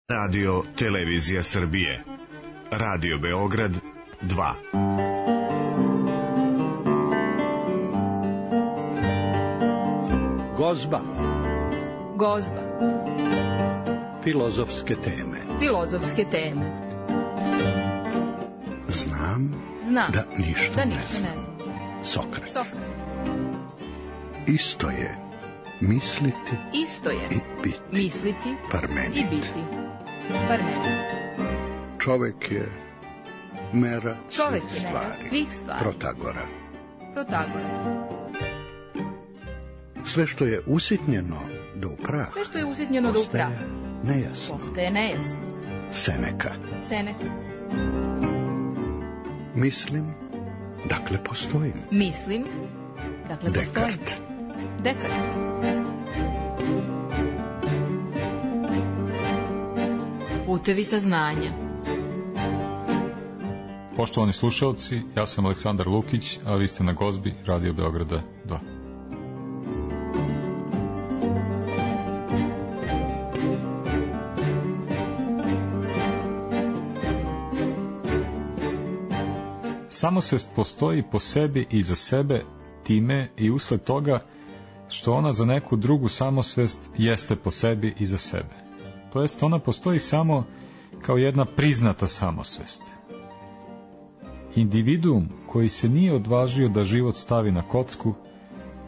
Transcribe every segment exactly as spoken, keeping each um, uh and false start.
Radio Televizija Srbije. Radio Beograd dva. Gozba. Gozba. Filozofske teme. Filozofske teme. Znam, Znam da ništa, da ne, ništa znam. ne znam. Sokrat. Sokrat. Isto je misliti Isto je i biti. misliti Parmenid. i biti. Parmenid. Čovek je mera Čovek svih je mera stvari. svih stvari. Protagora. Protagora. Sve što je usitnjeno do upraha. Sve što je usitnjeno do upraha. Postaje nejasno. Postaje nejasno. Seneka. Seneka. Mislim, dakle postojim. Mislim, dakle postojim. Dekart. Dekart. Putevi saznanja. Poštovani slušalci, ja sam Aleksandar Lukić, a vi ste na Gozbi Radio Beograda dva. Samosvest postoji po sebi i za sebe, time i usled toga što ona za neku drugu samosvest jeste po sebi i za sebe. To jest, ona postoji samo kao jedna priznata samosvest. Individuum koji se nije odvažio da život stavi na kocku,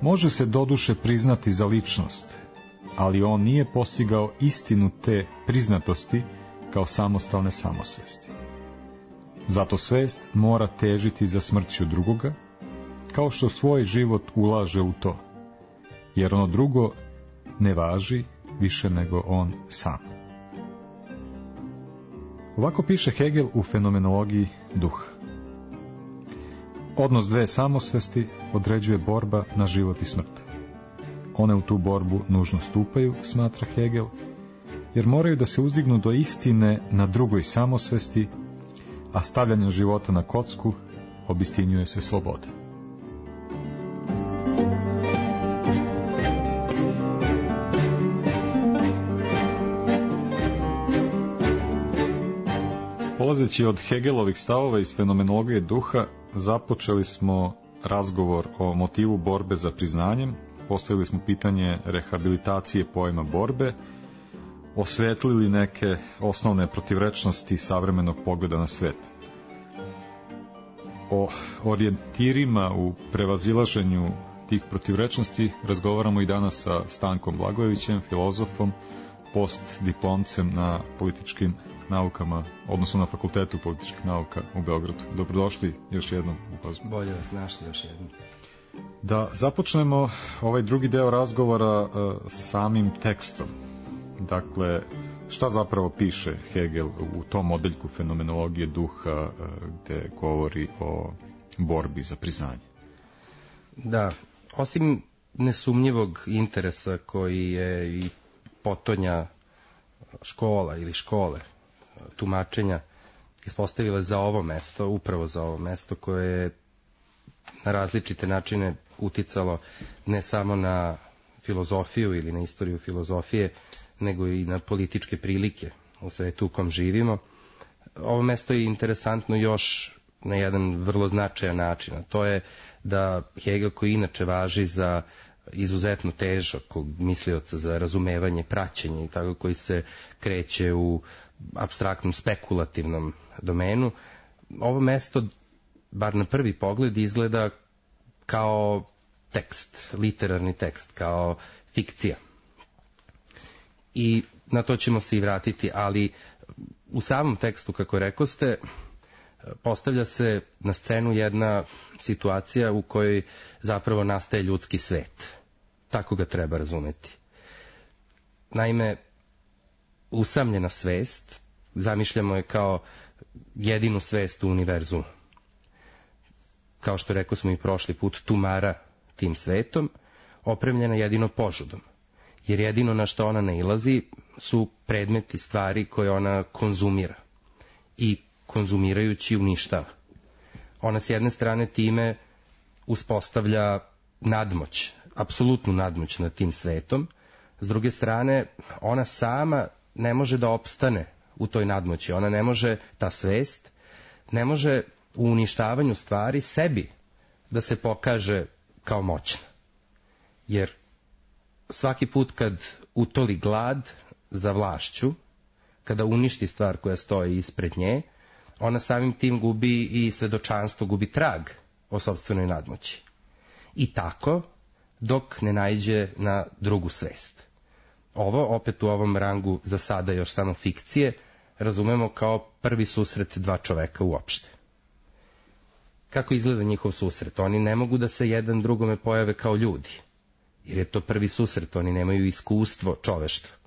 može se doduše priznati za ličnost, ali on nije postigao istinu te priznatosti kao samostalne samosvesti. Zato svest mora težiti za smrću drugoga, kao što svoj život ulaže u to, jer ono drugo ne važi više nego on sam. Ovako piše Hegel u Fenomenologiji duha. Odnos dve samosvesti određuje borba na život i smrt. One u tu borbu nužno stupaju, smatra Hegel, jer moraju da se uzdignu do istine na drugoj samosvesti, a stavljanjem života na kocku obistinjuje se sloboda. Polazeći od Hegelovih stavova iz Fenomenologije duha, započeli smo razgovor o motivu borbe za priznanjem, postavili smo pitanje rehabilitacije pojma borbe, osvetlili neke osnovne protivrečnosti savremenog pogleda na svet. O orijentirima u prevazilaženju tih protivrečnosti razgovaramo i danas sa Stankom Blagojevićem, filozofom, postdiplomcem na političkim naukama, odnosno na Fakultetu političkih nauka u Beogradu. Dobrodošli još jednom u Gozbu. Bolje vas našli još jednom. Da započnemo ovaj drugi deo razgovora uh, samim tekstom. Dakle, šta zapravo piše Hegel u tom odeljku Fenomenologije duha uh, gde govori o borbi za priznanje? Da, osim nesumnjivog interesa koji je i potonja škola ili škole tumačenja ispostavile za ovo mesto, upravo za ovo mesto koje je na različite načine uticalo ne samo na filozofiju ili na istoriju filozofije, nego i na političke prilike u svetu u kom živimo. Ovo mesto je interesantno još na jedan vrlo značajan način, a to je da Hegel, koji inače važi za izuzetno težakog mislioca za razumevanje, praćenje i tako, koji se kreće u apstraktnom, spekulativnom domenu, ovo mesto, bar na prvi pogled, izgleda kao tekst, literarni tekst, kao fikcija. I na to ćemo se i vratiti, ali u samom tekstu, kako rekoste, postavlja se na scenu jedna situacija u kojoj zapravo nastaje ljudski svet. Tako ga treba razumeti. Naime, usamljena svest, zamišljamo je kao jedinu svest u univerzumu. Kao što rekao smo i prošli put, tumara tim svetom, opremljena jedino požudom. Jer jedino na što ona nailazi su predmeti, stvari koje ona konzumira. I konzumirajući uništava. Ona s jedne strane time uspostavlja nadmoć, apsolutnu nadmoć nad tim svetom, s druge strane ona sama ne može da opstane u toj nadmoći. Ona ne može, ta svest, ne može u uništavanju stvari sebi da se pokaže kao moćna. Jer svaki put kad utoli glad za vlašću, kada uništi stvar koja stoji ispred nje, ona samim tim gubi i svedočanstvo, gubi trag o sopstvenoj nadmoći. I tako, dok ne naiđe na drugu svest. Ovo, opet u ovom rangu za sada još samo fikcije, razumemo kao prvi susret dva čoveka uopšte. Kako izgleda njihov susret? Oni ne mogu da se jedan drugome pojave kao ljudi, jer je to prvi susret, oni nemaju iskustvo čoveštva.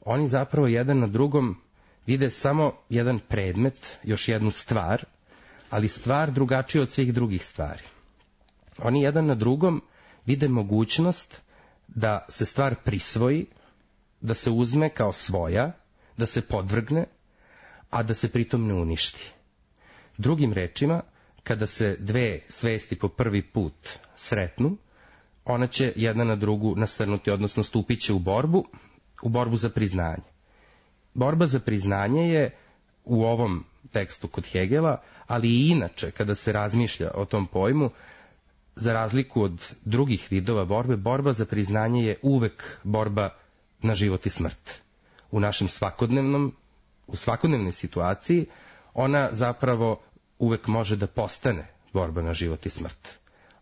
Oni zapravo jedan na drugom vide samo jedan predmet, još jednu stvar, ali stvar drugačija od svih drugih stvari. Oni jedan na drugom vide mogućnost da se stvar prisvoji, da se uzme kao svoja, da se podvrgne, a da se pritom ne uništi. Drugim rečima, kada se dve svesti po prvi put sretnu, ona će jedna na drugu nasrnuti, odnosno stupit će u borbu, u borbu za priznanje. Borba za priznanje je u ovom tekstu kod Hegela, ali i inače, kada se razmišlja o tom pojmu, za razliku od drugih vidova borbe, borba za priznanje je uvek borba na život i smrt. U našem svakodnevnom, u svakodnevnoj situaciji, ona zapravo uvek može da postane borba na život i smrt.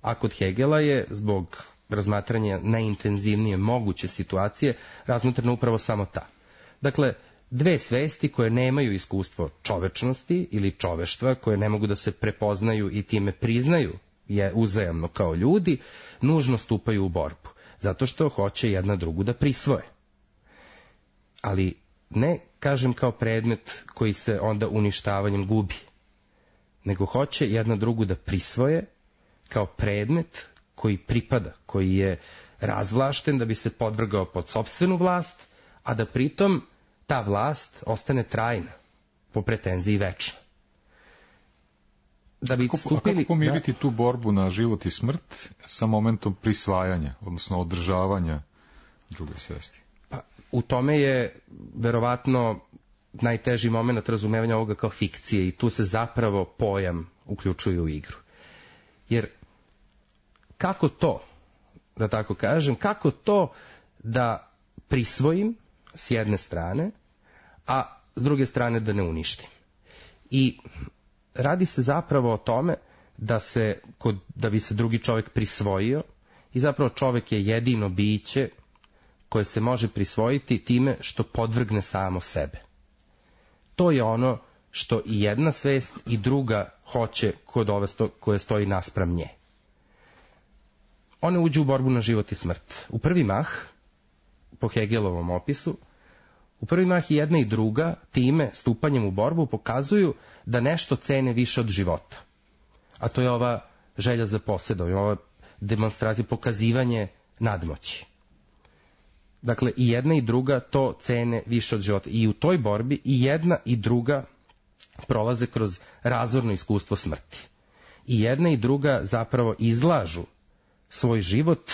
A kod Hegela je, zbog razmatranja najintenzivnije moguće situacije, razmotrena upravo samo ta. Dakle, dve svesti koje nemaju iskustvo čovečnosti ili čoveštva, koje ne mogu da se prepoznaju i time priznaju je uzajamno kao ljudi, nužno stupaju u borbu, zato što hoće jedna drugu da prisvoje. Ali ne, kažem, kao predmet koji se onda uništavanjem gubi, nego hoće jedna drugu da prisvoje kao predmet koji pripada, koji je razvlašten da bi se podvrgao pod sopstvenu vlast, a da pritom ta vlast ostane trajna, po pretenziji večna. Da bi kako, stupili, kako pomiriti da, tu borbu na život i smrt sa momentom prisvajanja, odnosno održavanja druge svesti? Pa, u tome je verovatno najteži moment razumevanja ovoga kao fikcije i tu se zapravo pojam uključuje u igru. Jer kako to, da tako kažem, kako to da prisvojim s jedne strane, a s druge strane da ne uništim. I radi se zapravo o tome da se, kod, da bi se drugi čovjek prisvojio, i zapravo čovjek je jedino biće koje se može prisvojiti time što podvrgne samo sebe. To je ono što i jedna svest i druga hoće kod ove sto, koje stoji naspram nje. One uđu u borbu na život i smrt. U prvi mah, po Hegelovom opisu, u prvi mah i jedna i druga time, stupanjem u borbu, pokazuju da nešto cene više od života. A to je ova želja za posjedom, ova demonstracija, pokazivanje nadmoći. Dakle, i jedna i druga to cene više od života. I u toj borbi i jedna i druga prolaze kroz razorno iskustvo smrti. I jedna i druga zapravo izlažu svoj život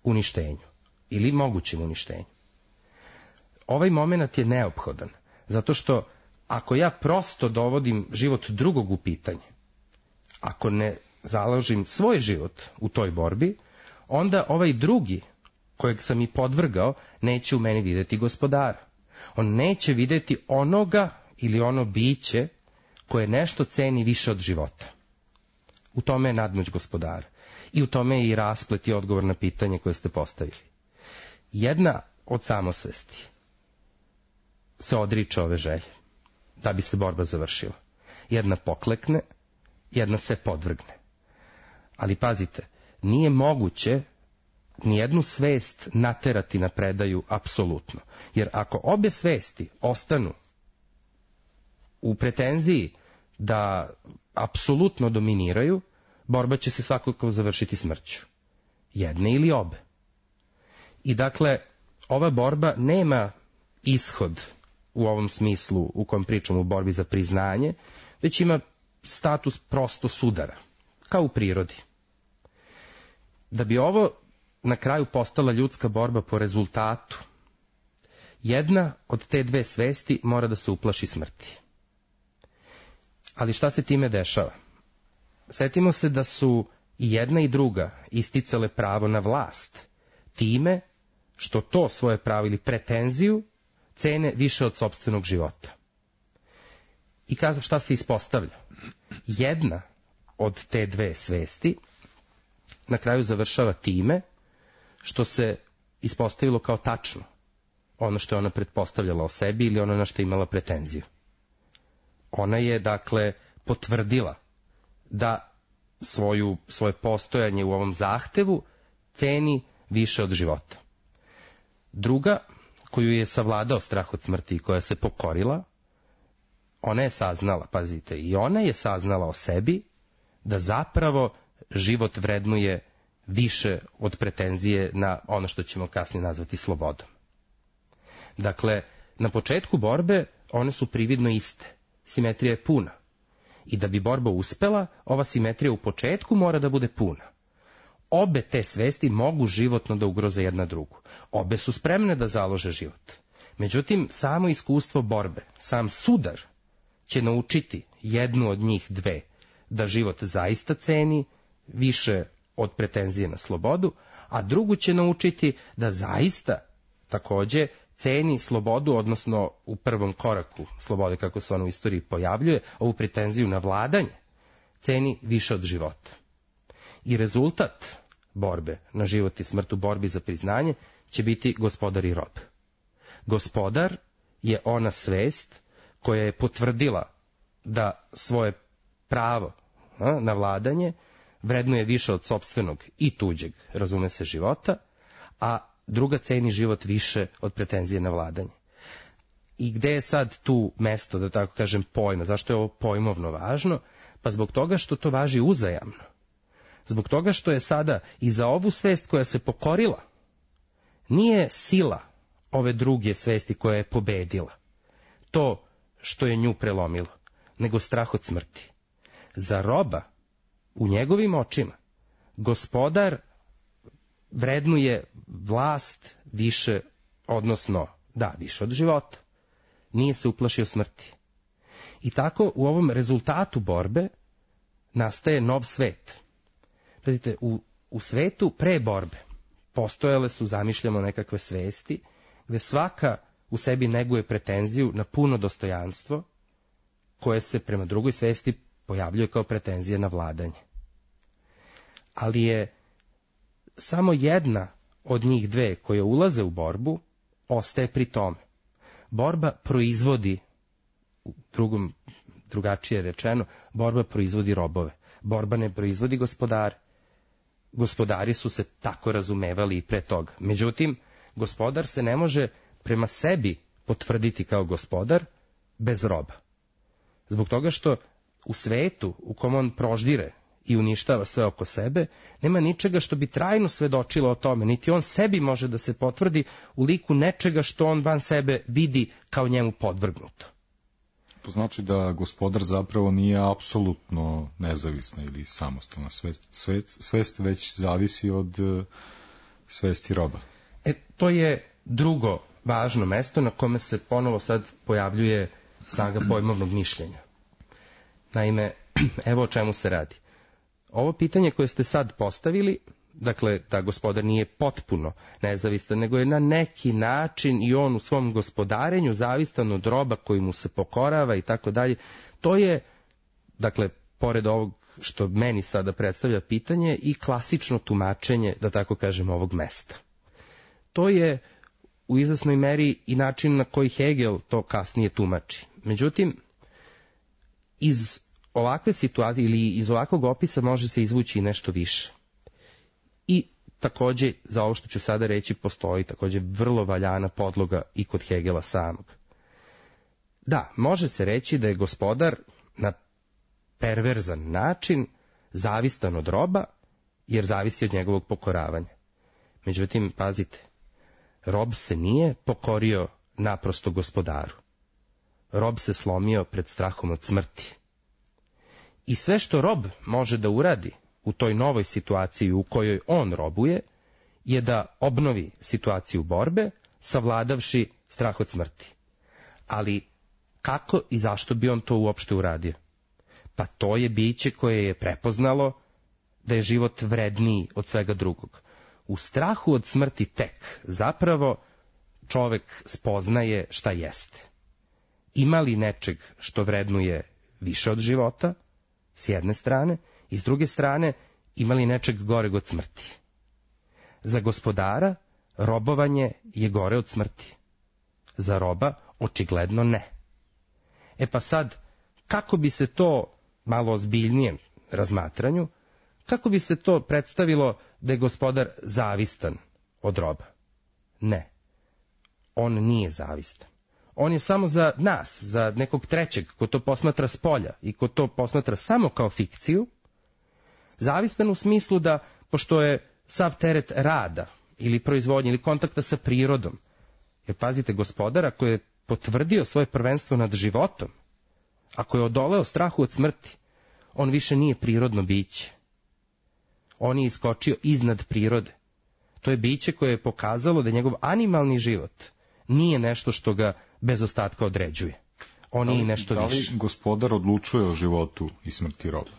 uništenju ili mogućem uništenju. Ovaj moment je neophodan, zato što ako ja prosto dovodim život drugog u pitanje, ako ne založim svoj život u toj borbi, onda ovaj drugi, kojeg sam i podvrgao, neće u meni videti gospodara. On neće videti onoga ili ono biće koje nešto ceni više od života. U tome je nadmoć gospodara. I u tome je i rasplet i odgovor na pitanje koje ste postavili. Jedna od samosvesti se odriče ove želje, da bi se borba završila. Jedna poklekne, jedna se podvrgne. Ali pazite, nije moguće nijednu svest naterati na predaju apsolutno. Jer ako obe svesti ostanu u pretenziji da apsolutno dominiraju, borba će se svakako završiti smrću. Jedne ili obe. I dakle, ova borba nema ishod u ovom smislu u kojem pričamo u borbi za priznanje, već ima status prosto sudara, kao u prirodi. Da bi ovo na kraju postala ljudska borba po rezultatu, jedna od te dve svesti mora da se uplaši smrti. Ali šta se time dešava? Setimo se da su i jedna i druga isticale pravo na vlast, time što to svoje pravo ili pretenziju cene više od sopstvenog života. I kako, šta se ispostavlja? Jedna od te dve svesti na kraju završava time što se ispostavilo kao tačno ono što je ona pretpostavljala o sebi ili ono na što je imala pretenziju. Ona je, dakle, potvrdila da svoju, svoje postojanje u ovom zahtevu ceni više od života. Druga, koju je savladao strah od smrti i koja se pokorila, ona je saznala, pazite, i ona je saznala o sebi da zapravo život vrednuje više od pretenzije na ono što ćemo kasnije nazvati slobodom. Dakle, na početku borbe one su prividno iste. Simetrija je puna. I da bi borba uspela, ova simetrija u početku mora da bude puna. Obe te svesti mogu životno da ugroze jedna drugu. Obe su spremne da založe život. Međutim, samo iskustvo borbe, sam sudar, će naučiti jednu od njih dve da život zaista ceni više od pretenzije na slobodu, a drugu će naučiti da zaista takođe ceni slobodu, odnosno u prvom koraku slobode, kako se ona u istoriji pojavljuje, ovu pretenziju na vladanje, ceni više od života. I rezultat borbe na život i smrt u borbi za priznanje će biti gospodar i rob. Gospodar je ona svest koja je potvrdila da svoje pravo a, na vladanje vrednuje više od sopstvenog i tuđeg, razume se, života, a druga ceni život više od pretenzije na vladanje. I gde je sad tu mesto, da tako kažem, pojma? Zašto je ovo pojmovno važno? Pa zbog toga što to važi uzajamno. Zbog toga što je sada i za ovu svest koja se pokorila, nije sila ove druge svesti koja je pobedila, to što je nju prelomilo, nego strah od smrti. Za roba, u njegovim očima, gospodar vrednuje vlast više, odnosno, da, više od života. Nije se uplašio smrti. I tako u ovom rezultatu borbe nastaje nov svet. Vidite, u, u svetu pre borbe postojale su, zamišljamo, nekakve svesti, gde svaka u sebi neguje pretenziju na puno dostojanstvo, koje se prema drugoj svesti pojavljuje kao pretenzija na vladanje. Ali je samo jedna od njih dve koje ulaze u borbu ostaje pri tome. Borba proizvodi, u drugom, drugačije rečeno, borba proizvodi robove. Borba ne proizvodi gospodare. Gospodari su se tako razumevali i pre toga. Međutim, gospodar se ne može prema sebi potvrditi kao gospodar bez roba. Zbog toga što u svetu u kom on proždire i uništava sve oko sebe, nema ničega što bi trajno svedočilo o tome, niti on sebi može da se potvrdi u liku nečega što on van sebe vidi kao njemu podvrgnuto. To znači da gospodar zapravo nije apsolutno nezavisna ili samostalna svest, svest, svest već zavisi od uh, svesti roba. E, to je drugo važno mesto na kome se ponovo sad pojavljuje snaga pojmovnog mišljenja. Naime, evo o čemu se radi. Ovo pitanje koje ste sad postavili, dakle, da gospodar nije potpuno nezavistan, nego je na neki način i on u svom gospodarenju zavistan od roba koji mu se pokorava i tako dalje, to je, dakle, pored ovog što meni sada predstavlja pitanje, i klasično tumačenje, da tako kažem, ovog mesta. To je u izvesnoj meri i način na koji Hegel to kasnije tumači. Međutim, iz ovakve situacije ili iz ovakvog opisa može se izvući i nešto više. I takođe, za ovo što ću sada reći, postoji takođe vrlo valjana podloga i kod Hegela samog. Da, može se reći da je gospodar na perverzan način zavistan od roba, jer zavisi od njegovog pokoravanja. Međutim, pazite, rob se nije pokorio naprosto gospodaru. Rob se slomio pred strahom od smrti. I sve što rob može da uradi u toj novoj situaciji u kojoj on robuje, je da obnovi situaciju borbe, savladavši strah od smrti. Ali kako i zašto bi on to uopšte uradio? Pa to je biće koje je prepoznalo da je život vredniji od svega drugog. U strahu od smrti tek zapravo čovek spoznaje šta jeste. Ima li nečeg što vrednuje više od života, s jedne strane, i s druge strane, ima li nečeg goreg od smrti? Za gospodara robovanje je gore od smrti. Za roba očigledno ne. E pa sad, kako bi se to malo ozbiljnijem razmatranju, kako bi se to predstavilo da je gospodar zavistan od roba? Ne. On nije zavistan. On je samo za nas, za nekog trećeg ko to posmatra s polja i ko to posmatra samo kao fikciju, zavistan u smislu da, pošto je sav teret rada ili proizvodnje ili kontakta sa prirodom, jer pazite, gospodar ako je potvrdio svoje prvenstvo nad životom, ako je odoleo strahu od smrti, on više nije prirodno biće. On je iskočio iznad prirode. To je biće koje je pokazalo da njegov animalni život nije nešto što ga bez ostatka određuje. On da li, je nešto da li više. Gospodar odlučuje o životu i smrti roba?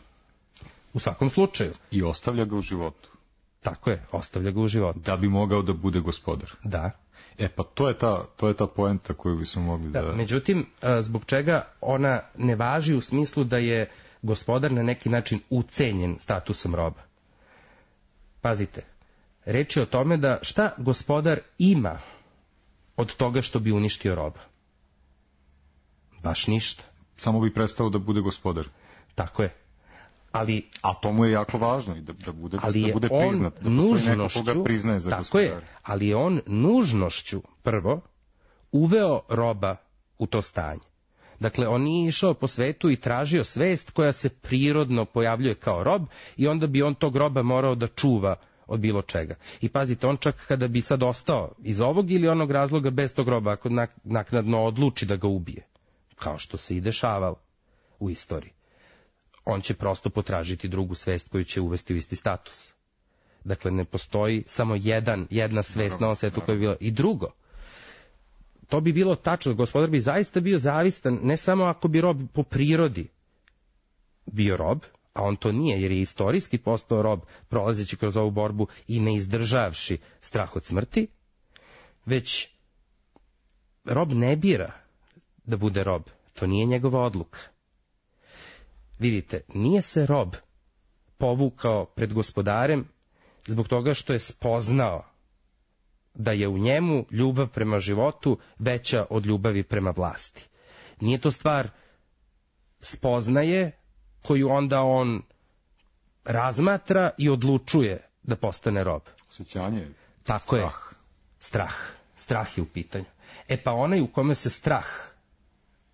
U svakom slučaju. I ostavlja ga u životu. Tako je, ostavlja ga u životu. Da bi mogao da bude gospodar. Da. E pa to je ta, to je ta poenta koju bismo mogli da... da... Međutim, zbog čega ona ne važi u smislu da je gospodar na neki način ucenjen statusom roba? Pazite, reč je o tome da šta gospodar ima od toga što bi uništio roba? Baš ništa. Samo bi prestao da bude gospodar. Tako je. Ali, a to mu je jako važno i da, da bude, ali da bude priznat, da postoji neko koga priznaje za tako gospodara. Je, ali je on nužnošću prvo uveo roba u to stanje. Dakle, on nije išao po svetu i tražio svest koja se prirodno pojavljuje kao rob i onda bi on tog roba morao da čuva od bilo čega. I pazite, on čak kada bi sad ostao iz ovog ili onog razloga bez tog roba, ako naknadno odluči da ga ubije, kao što se i dešavalo u istoriji, on će prosto potražiti drugu svest koju će uvesti u isti status. Dakle, ne postoji samo jedan, jedna svest na ovom svetu koja bi bila. I drugo, to bi bilo tačno, gospodar bi zaista bio zavistan, ne samo ako bi rob po prirodi bio rob, a on to nije, jer je istorijski postao rob, prolazeći kroz ovu borbu i ne izdržavši strah od smrti, već rob ne bira da bude rob, to nije njegova odluka. Vidite, nije se rob povukao pred gospodarem zbog toga što je spoznao da je u njemu ljubav prema životu veća od ljubavi prema vlasti. Nije to stvar spoznaje koju onda on razmatra i odlučuje da postane rob. Osjećanje, tako strah. Je, strah. Strah je u pitanju. E pa onaj u kome se strah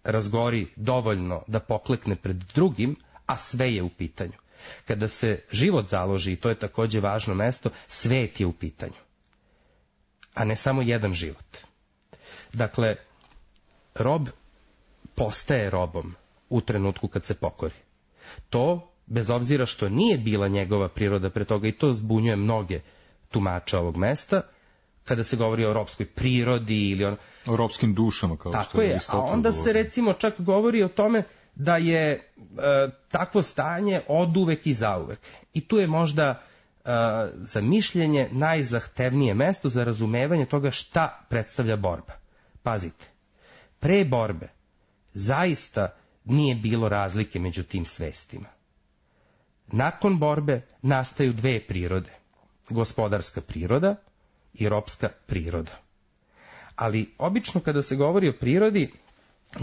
razgori dovoljno da poklekne pred drugim, a sve je u pitanju. Kada se život založi, i to je takođe važno mesto, svet je u pitanju, a ne samo jedan život. Dakle, rob postaje robom u trenutku kad se pokori. To, bez obzira što nije bila njegova priroda pre toga, i to zbunjuje mnoge tumače ovog mesta, kada se govori o robskoj prirodi ili on... o robskim dušama, kao tako što je je, a onda govori. Se recimo čak govori o tome da je e, takvo stanje oduvek i zauvek. I tu je možda e, za mišljenje najzahtevnije mesto za razumevanje toga šta predstavlja borba. Pazite, pre borbe zaista nije bilo razlike među tim svestima. Nakon borbe nastaju dve prirode, gospodarska priroda i ropska priroda. Ali obično kada se govori o prirodi,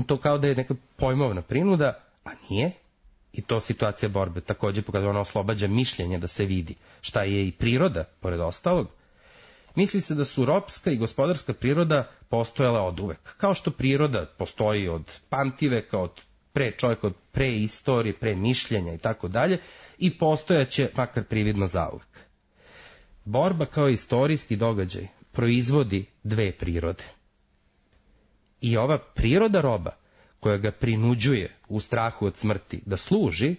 to kao da je neka pojmovna prinuda, a nije, i to situacija borbe takođe pokazuje, ona oslobađa mišljenje da se vidi šta je i priroda, pored ostalog. Misli se da su ropska i gospodarska priroda postojala od uvek. Kao što priroda postoji od pamtiveka, od pre čovjeka, od pre istorije, pre mišljenja i tako dalje, i postojaće makar prividno zauvek. Borba kao istorijski događaj proizvodi dve prirode. I ova priroda roba, koja ga prinuđuje u strahu od smrti da služi,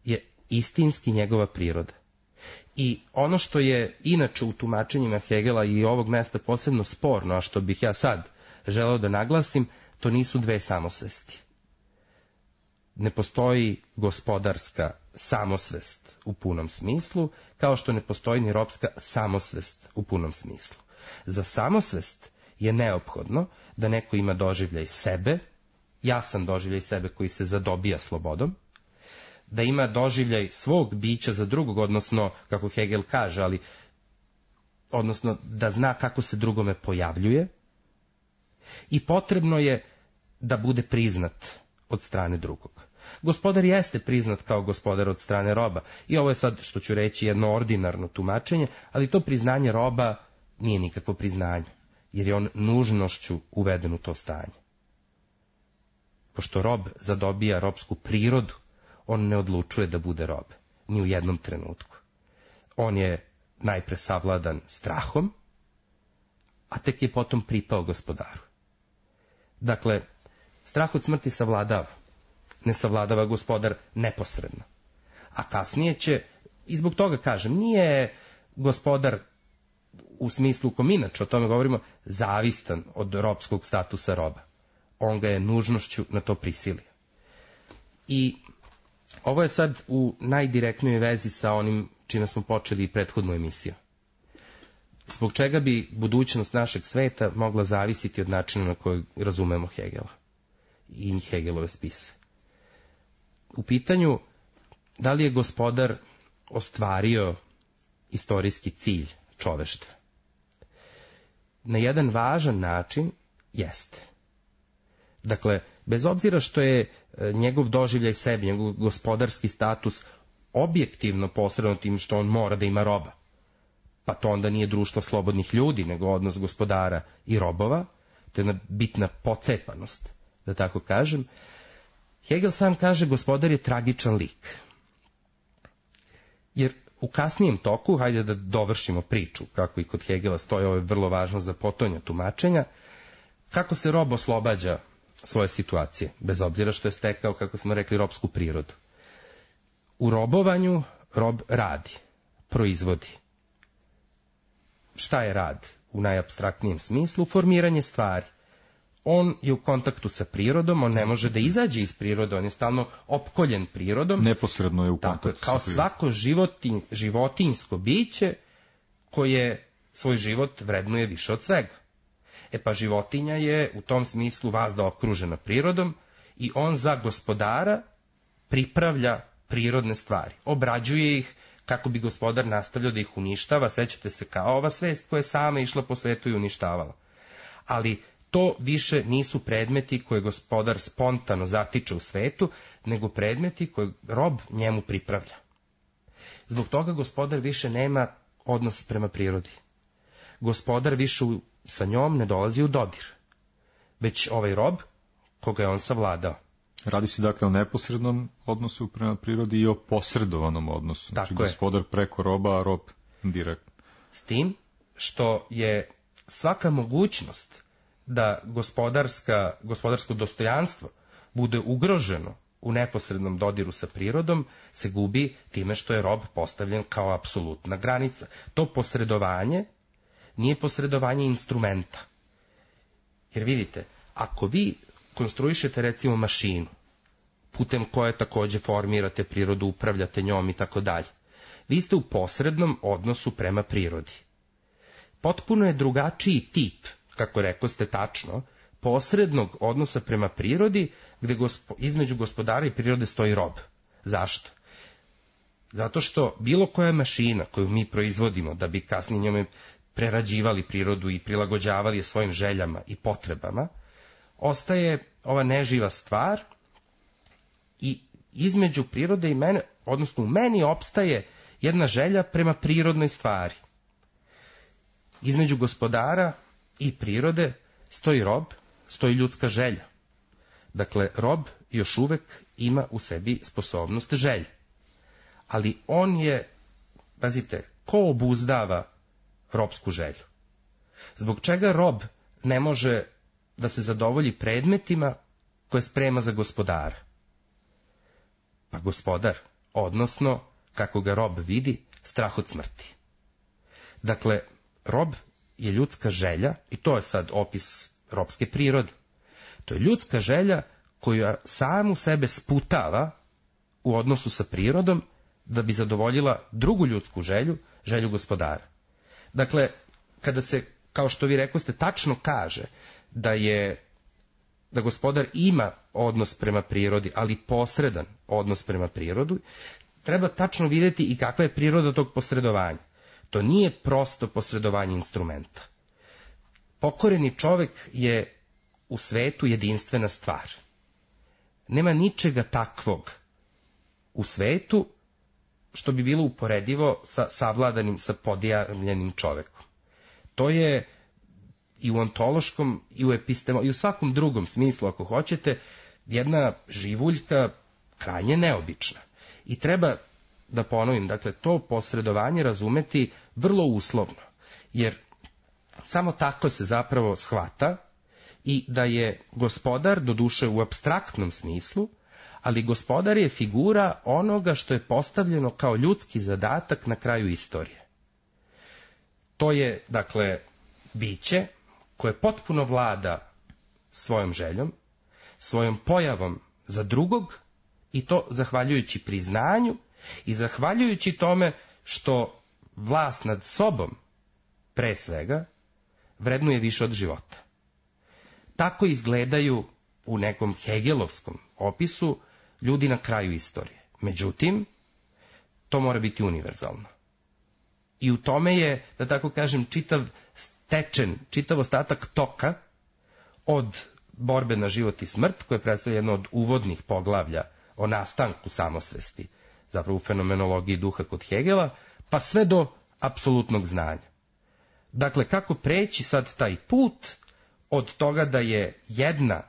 je istinski njegova priroda. I ono što je inače u tumačenjima Hegela i ovog mesta posebno sporno, a što bih ja sad želeo da naglasim, to nisu dve samosvesti. Ne postoji gospodarska samosvest u punom smislu, kao što ne postoji ni ropska samosvest u punom smislu. Za samosvest je neophodno da neko ima doživljaj sebe, jasan doživljaj sebe koji se zadobija slobodom, da ima doživljaj svog bića za drugog, odnosno, kako Hegel kaže, ali odnosno da zna kako se drugome pojavljuje, i potrebno je da bude priznat od strane drugog. Gospodar jeste priznat kao gospodar od strane roba, i ovo je sad, što ću reći, jedno ordinarno tumačenje, ali to priznanje roba nije nikakvo priznanje, jer je on nužnošću uveden u to stanje. Pošto rob zadobija robsku prirodu, on ne odlučuje da bude rob, ni u jednom trenutku. On je najpre savladan strahom, a tek je potom pripao gospodaru. Dakle, strah od smrti savladava, ne savladava gospodar neposredno. A kasnije će, i zbog toga kažem, nije gospodar u smislu u kom inače o tome govorimo, zavistan od robskog statusa roba. On ga je nužnošću na to prisilio. I ovo je sad u najdirektnijoj vezi sa onim čime smo počeli prethodnu emisiju. Zbog čega bi budućnost našeg sveta mogla zavisiti od načina na koji razumemo Hegela i Hegelove spise. U pitanju, da li je gospodar ostvario istorijski cilj čoveštva? Na jedan važan način jeste. Dakle, bez obzira što je njegov doživljaj sebi, njegov gospodarski status objektivno posredno tim što on mora da ima roba, pa to onda nije društvo slobodnih ljudi, nego odnos gospodara i robova, to je jedna bitna pocepanost, da tako kažem. Hegel sam kaže, gospodar je tragičan lik. Jer u kasnijem toku, hajde da dovršimo priču, kako i kod Hegela stoji, ovo je vrlo važno za potonja tumačenja, kako se rob oslobađa svoje situacije, bez obzira što je stekao, kako smo rekli, robsku prirodu. U robovanju rob radi, proizvodi. Šta je rad u najapstraktnijem smislu? Formiranje stvari. On je u kontaktu sa prirodom, on ne može da izađe iz prirode, on je stalno opkoljen prirodom. Neposredno je u kontaktu. Tako, kao svako životin, životinjsko biće koje svoj život vrednuje više od svega. E pa životinja je u tom smislu vazda okružena prirodom i on za gospodara pripravlja prirodne stvari. Obrađuje ih kako bi gospodar nastavljao da ih uništava. Sećate se kao ova svest koja je sama išla po svetu i uništavala. Ali to više nisu predmeti koje gospodar spontano zatiče u svetu, nego predmeti koje rob njemu pripravlja. Zbog toga gospodar više nema odnos prema prirodi. Gospodar više sa njom ne dolazi u dodir, već ovaj rob koga je on savladao. Radi se dakle o neposrednom odnosu prema prirodi i o posredovanom odnosu. Znači Tako gospodar je. preko roba, a rob direktno. S tim što je svaka mogućnost da gospodarska, gospodarsko dostojanstvo bude ugroženo u neposrednom dodiru sa prirodom, se gubi time što je rob postavljen kao apsolutna granica. To posredovanje nije posredovanje instrumenta. Jer vidite, ako vi konstruišete recimo mašinu, putem koje takođe formirate prirodu, upravljate njom i tako dalje, vi ste u posrednom odnosu prema prirodi. Potpuno je drugačiji tip, kako rekoste tačno, posrednog odnosa prema prirodi, gde gospo, između gospodara i prirode stoji rob. Zašto? Zato što bilo koja mašina koju mi proizvodimo da bi kasnije njome prerađivali prirodu i prilagođavali je svojim željama i potrebama, ostaje ova neživa stvar i između prirode i mene, odnosno u meni opstaje jedna želja prema prirodnoj stvari. Između gospodara i prirode stoji rob, stoji ljudska želja. Dakle, rob još uvek ima u sebi sposobnost želje. Ali on je, pazite, ko obuzdava robsku želju? Zbog čega rob ne može da se zadovolji predmetima koje sprema za gospodara? Pa gospodar, odnosno, kako ga rob vidi, strah od smrti. Dakle, rob je ljudska želja, i to je sad opis ropske prirode. To je ljudska želja koja samu sebe sputava u odnosu sa prirodom da bi zadovoljila drugu ljudsku želju, želju gospodara. Dakle, kada se, kao što vi rekoste, tačno kaže da je da gospodar ima odnos prema prirodi, ali posredan odnos prema prirodi, treba tačno vidjeti i kakva je priroda tog posredovanja. To nije prosto posredovanje instrumenta. Pokoreni čovek je u svetu jedinstvena stvar. Nema ničega takvog u svetu što bi bilo uporedivo sa savladanim, sa podijavljenim čovekom. To je i u ontološkom, i u epistemo, i u svakom drugom smislu, ako hoćete, jedna živuljka krajnje neobična. I treba da ponovim, dakle, to posredovanje razumeti vrlo uslovno, jer samo tako se zapravo shvata i da je gospodar, doduše u apstraktnom smislu, ali gospodar je figura onoga što je postavljeno kao ljudski zadatak na kraju istorije. To je, dakle, biće koje potpuno vlada svojom željom, svojom pojavom za drugog, i to zahvaljujući priznanju i zahvaljujući tome što vlast nad sobom, pre svega, vrednuje više od života. Tako izgledaju u nekom hegelovskom opisu ljudi na kraju istorije. Međutim, to mora biti univerzalno. I u tome je, da tako kažem, čitav stečen, čitav ostatak toka od borbe na život i smrt, koje predstavlja jedno od uvodnih poglavlja o nastanku samosvesti, zapravo u fenomenologiji duha kod Hegela, pa sve do apsolutnog znanja. Dakle, kako preći sad taj put od toga da je jedna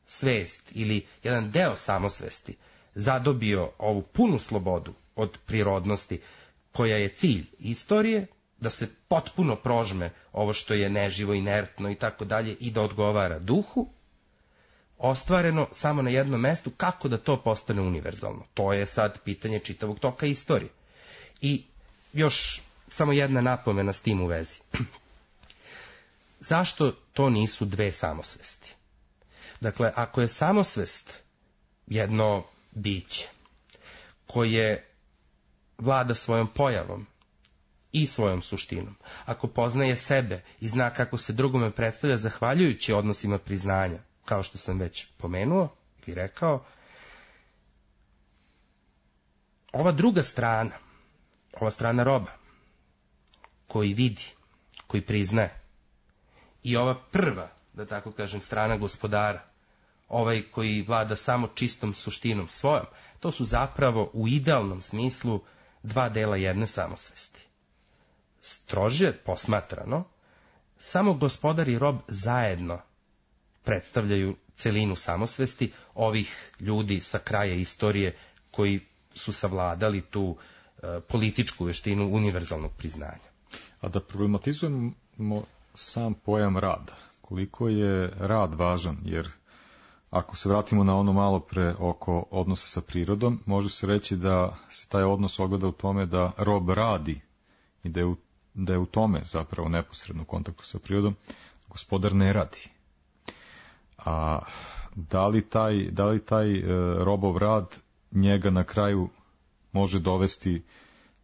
svest ili jedan deo samosvesti zadobio ovu punu slobodu od prirodnosti koja je cilj istorije, da se potpuno prožme ovo što je neživo, inertno i tako dalje i da odgovara duhu, ostvareno samo na jednom mestu, kako da to postane univerzalno. To je sad pitanje čitavog toka istorije. I još samo jedna napomena s tim u vezi. Zašto to nisu dve samosvesti? Dakle, ako je samosvest jedno biće koje vlada svojom pojavom i svojom suštinom, ako poznaje sebe i zna kako se drugome predstavlja zahvaljujući odnosima priznanja, kao što sam već pomenuo i rekao, ova druga strana, ova strana roba, koji vidi, koji priznaje, i ova prva, da tako kažem, strana gospodara, ovaj koji vlada samo čistom suštinom svojom, to su zapravo u idealnom smislu dva dela jedne samosvesti. Strože posmatrano, samo gospodar i rob zajedno predstavljaju celinu samosvesti ovih ljudi sa kraja istorije koji su savladali tu e, političku veštinu univerzalnog priznanja. A da problematizujemo sam pojam rada, koliko je rad važan, jer ako se vratimo na ono malo pre oko odnosa sa prirodom, može se reći da se taj odnos ogleda u tome da rob radi i da je u, da je u tome zapravo neposredno u kontaktu sa prirodom, gospodar ne radi. A da li taj, da li taj e, robov rad njega na kraju može dovesti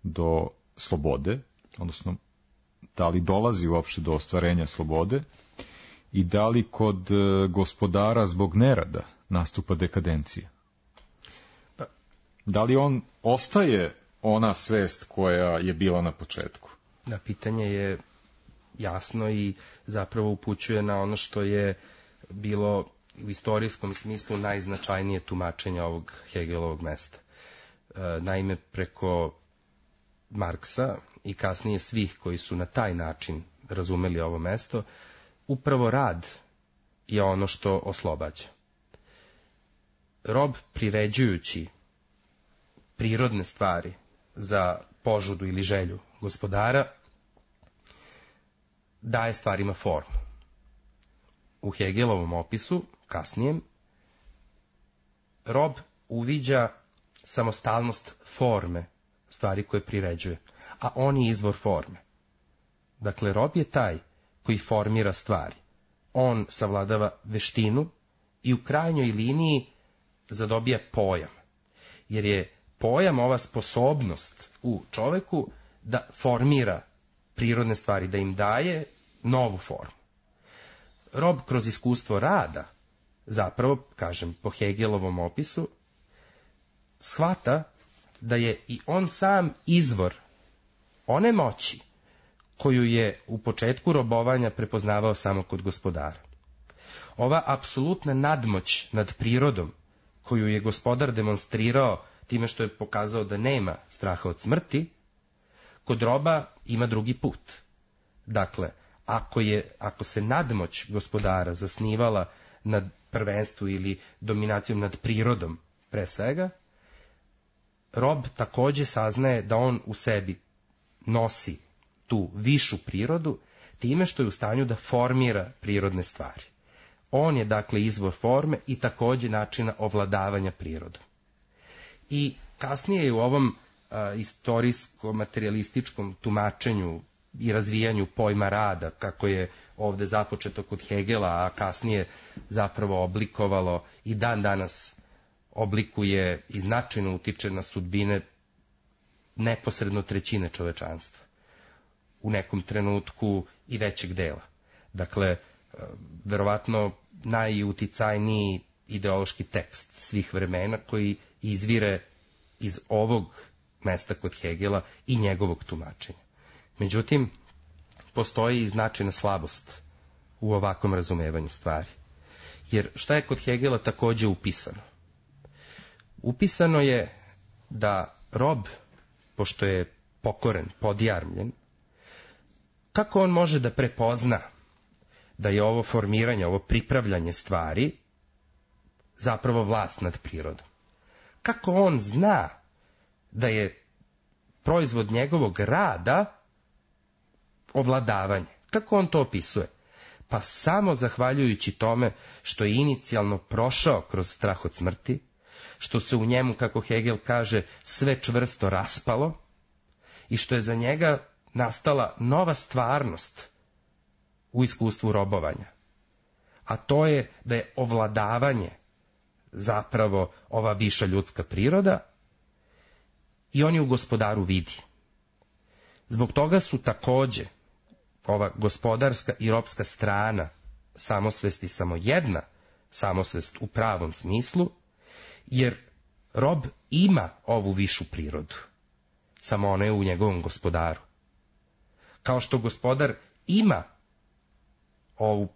do slobode, odnosno da li dolazi uopšte do ostvarenja slobode i da li kod e, gospodara zbog nerada nastupa dekadencija? Pa, da li on ostaje ona svest koja je bila na početku? Da, pitanje je jasno i zapravo upućuje na ono što je bilo u istorijskom smislu najznačajnije tumačenje ovog Hegelovog mesta. E, naime, preko Marksa i kasnije svih koji su na taj način razumeli ovo mesto, upravo rad je ono što oslobađa. Rob, priređujući prirodne stvari za požudu ili želju gospodara, daje stvarima formu. U Hegelovom opisu, kasnijem, rob uviđa samostalnost forme stvari koje priređuje, a on je izvor forme. Dakle, rob je taj koji formira stvari, on savladava veštinu i u krajnjoj liniji zadobija pojam. Jer je pojam ova sposobnost u čoveku da formira prirodne stvari, da im daje novu formu. Rob kroz iskustvo rada, zapravo, kažem, po Hegelovom opisu, shvata da je i on sam izvor one moći koju je u početku robovanja prepoznavao samo kod gospodara. Ova apsolutna nadmoć nad prirodom koju je gospodar demonstrirao time što je pokazao da nema straha od smrti, kod roba ima drugi put. Dakle, ako, je, ako se nadmoć gospodara zasnivala nad prvenstvu ili dominacijom nad prirodom pre svega, rob takođe saznaje da on u sebi nosi tu višu prirodu time što je u stanju da formira prirodne stvari. On je dakle izvor forme i takođe načina ovladavanja prirodom. I kasnije je u ovom a, istorijsko-materialističkom tumačenju i razvijanju pojma rada, kako je ovde započeto kod Hegela, a kasnije zapravo oblikovalo i dan danas oblikuje i značajno utiče na sudbine neposredno trećine čovečanstva. U nekom trenutku i većeg dela. Dakle, verovatno najuticajniji ideološki tekst svih vremena koji izvire iz ovog mesta kod Hegela i njegovog tumačenja. Međutim, postoji i značajna slabost u ovakvom razumevanju stvari. Jer šta je kod Hegela takođe upisano? Upisano je da rob, pošto je pokoren, podjarmljen, kako on može da prepozna da je ovo formiranje, ovo pripravljanje stvari zapravo vlast nad prirodom? Kako on zna da je proizvod njegovog rada ovladavanje? Kako on to opisuje? Pa samo zahvaljujući tome što je inicijalno prošao kroz strah od smrti, što se u njemu, kako Hegel kaže, sve čvrsto raspalo i što je za njega nastala nova stvarnost u iskustvu robovanja. A to je da je ovladavanje zapravo ova viša ljudska priroda i on je u gospodaru vidi. Zbog toga su takođe ova gospodarska i robska strana samosvesti samo jedna samosvest u pravom smislu, jer rob ima ovu višu prirodu, samo ona je u njegovom gospodaru. Kao što gospodar ima ovu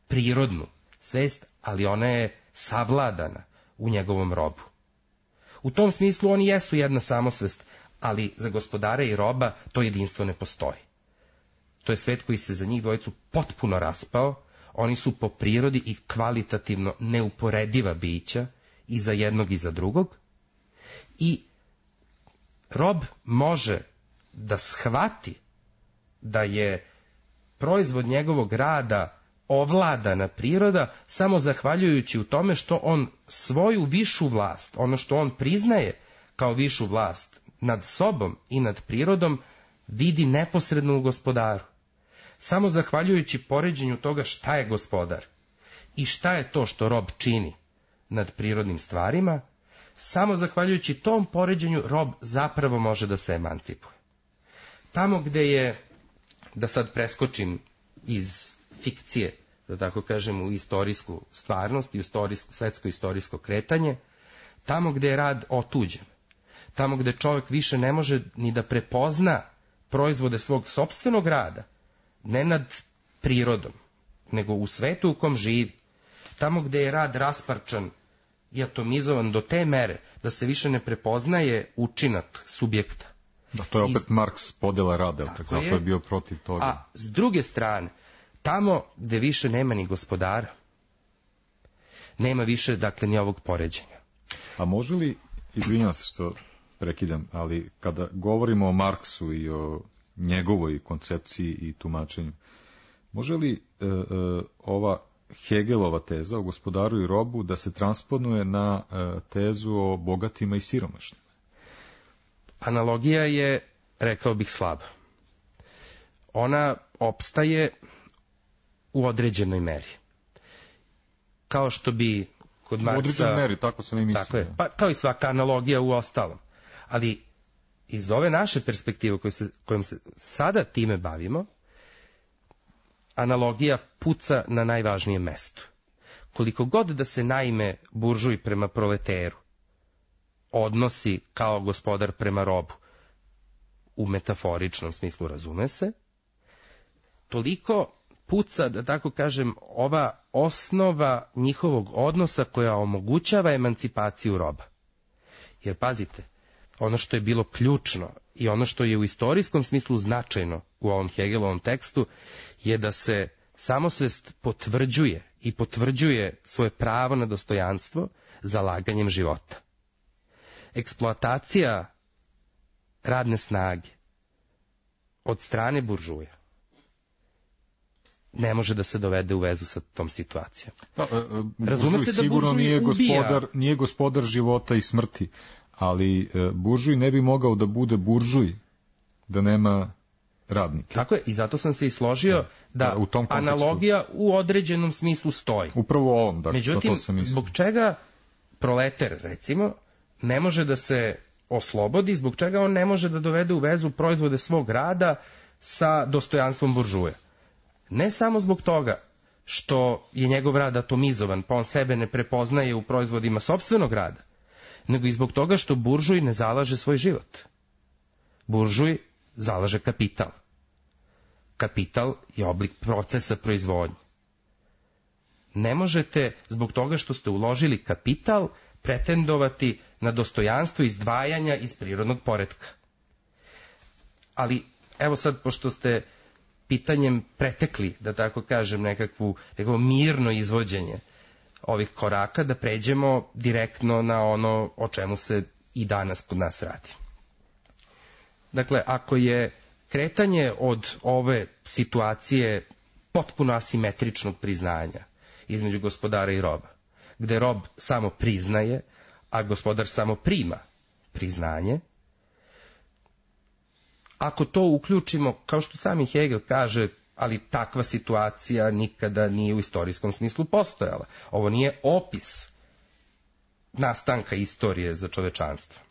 prirodnu svest, ali ona je savladana u njegovom robu. U tom smislu oni jesu jedna samosvest, ali za gospodara i roba to jedinstvo ne postoji. To je svet koji se za njih dvojicu potpuno raspao, oni su po prirodi i kvalitativno neuporediva bića i za jednog i za drugog, i rob može da shvati da je proizvod njegovog rada ovladana priroda samo zahvaljujući u tome što on svoju višu vlast, ono što on priznaje kao višu vlast nad sobom i nad prirodom, vidi neposredno u gospodaru. Samo zahvaljujući poređenju toga šta je gospodar i šta je to što rob čini nad prirodnim stvarima, samo zahvaljujući tom poređenju rob zapravo može da se emancipuje. Tamo gde je, da sad preskočim iz fikcije, da tako kažem, u istorijsku stvarnost i u istorijsko, svetsko istorijsko kretanje, tamo gde je rad otuđen, tamo gde čovjek više ne može ni da prepozna proizvode svog sopstvenog rada, ne nad prirodom, nego u svetu u kom živi, tamo gde je rad rasparčan i atomizovan do te mere da se više ne prepoznaje učinak subjekta. Da, to je opet I... Marks podjela rada, tako, tako zato je. je bio protiv toga. A s druge strane, tamo gde više nema ni gospodara, nema više, dakle, ni ovog poređenja. A može li, izvinjavam se što prekidam, ali kada govorimo o Marksu i o njegovoj koncepciji i tumačenju, može li e, e, ova Hegelova teza o gospodaru i robu da se transponuje na e, tezu o bogatima i siromašnima? Analogija je, rekao bih, slaba. Ona opstaje u određenoj meri. kao što bi kod Marksa... U određenoj meri, tako sam i mislio. Tako je, pa kao i svaka analogija u ostalom. Ali iz ove naše perspektive kojom se, kojom se sada time bavimo, analogija puca na najvažnijem mestu. Koliko god da se naime buržuj prema proleteru odnosi kao gospodar prema robu, u metaforičnom smislu razume se, toliko puca, da tako kažem, ova osnova njihovog odnosa koja omogućava emancipaciju roba. Jer pazite, ono što je bilo ključno i ono što je u istorijskom smislu značajno u ovom Hegelovom tekstu je da se samosvest potvrđuje i potvrđuje svoje pravo na dostojanstvo zalaganjem života. Eksploatacija radne snage od strane buržuja ne može da se dovede u vezu sa tom situacijom. Da, e, Razume se da sigurno buržuj nije ubija. gospodar, nije gospodar života i smrti, ali e, buržuj ne bi mogao da bude buržuj da nema radnike. Tako je, i zato sam se i složio da, da, da u tom kontekstu, analogija u određenom smislu stoji. Upravo ovom, dakle, međutim, to sam mislio. Zbog čega proleter, recimo, ne može da se oslobodi, zbog čega on ne može da dovede u vezu proizvode svog rada sa dostojanstvom buržuja? Ne samo zbog toga što je njegov rad atomizovan, pa on sebe ne prepoznaje u proizvodima sopstvenog rada, nego i zbog toga što buržuj ne zalaže svoj život. Buržuj zalaže kapital. Kapital je oblik procesa proizvodnje. Ne možete, zbog toga što ste uložili kapital, pretendovati na dostojanstvo izdvajanja iz prirodnog poretka. Ali, evo sad, pošto ste pitanjem pretekli, da tako kažem, nekakvu, nekakvo mirno izvođenje ovih koraka, da pređemo direktno na ono o čemu se i danas kod nas radi. Dakle, ako je kretanje od ove situacije potpuno asimetričnog priznanja između gospodara i roba, gde rob samo priznaje, a gospodar samo prima priznanje, ako to uključimo, kao što sami Hegel kaže, ali takva situacija nikada nije u istorijskom smislu postojala. Ovo nije opis nastanka istorije za čovečanstvo.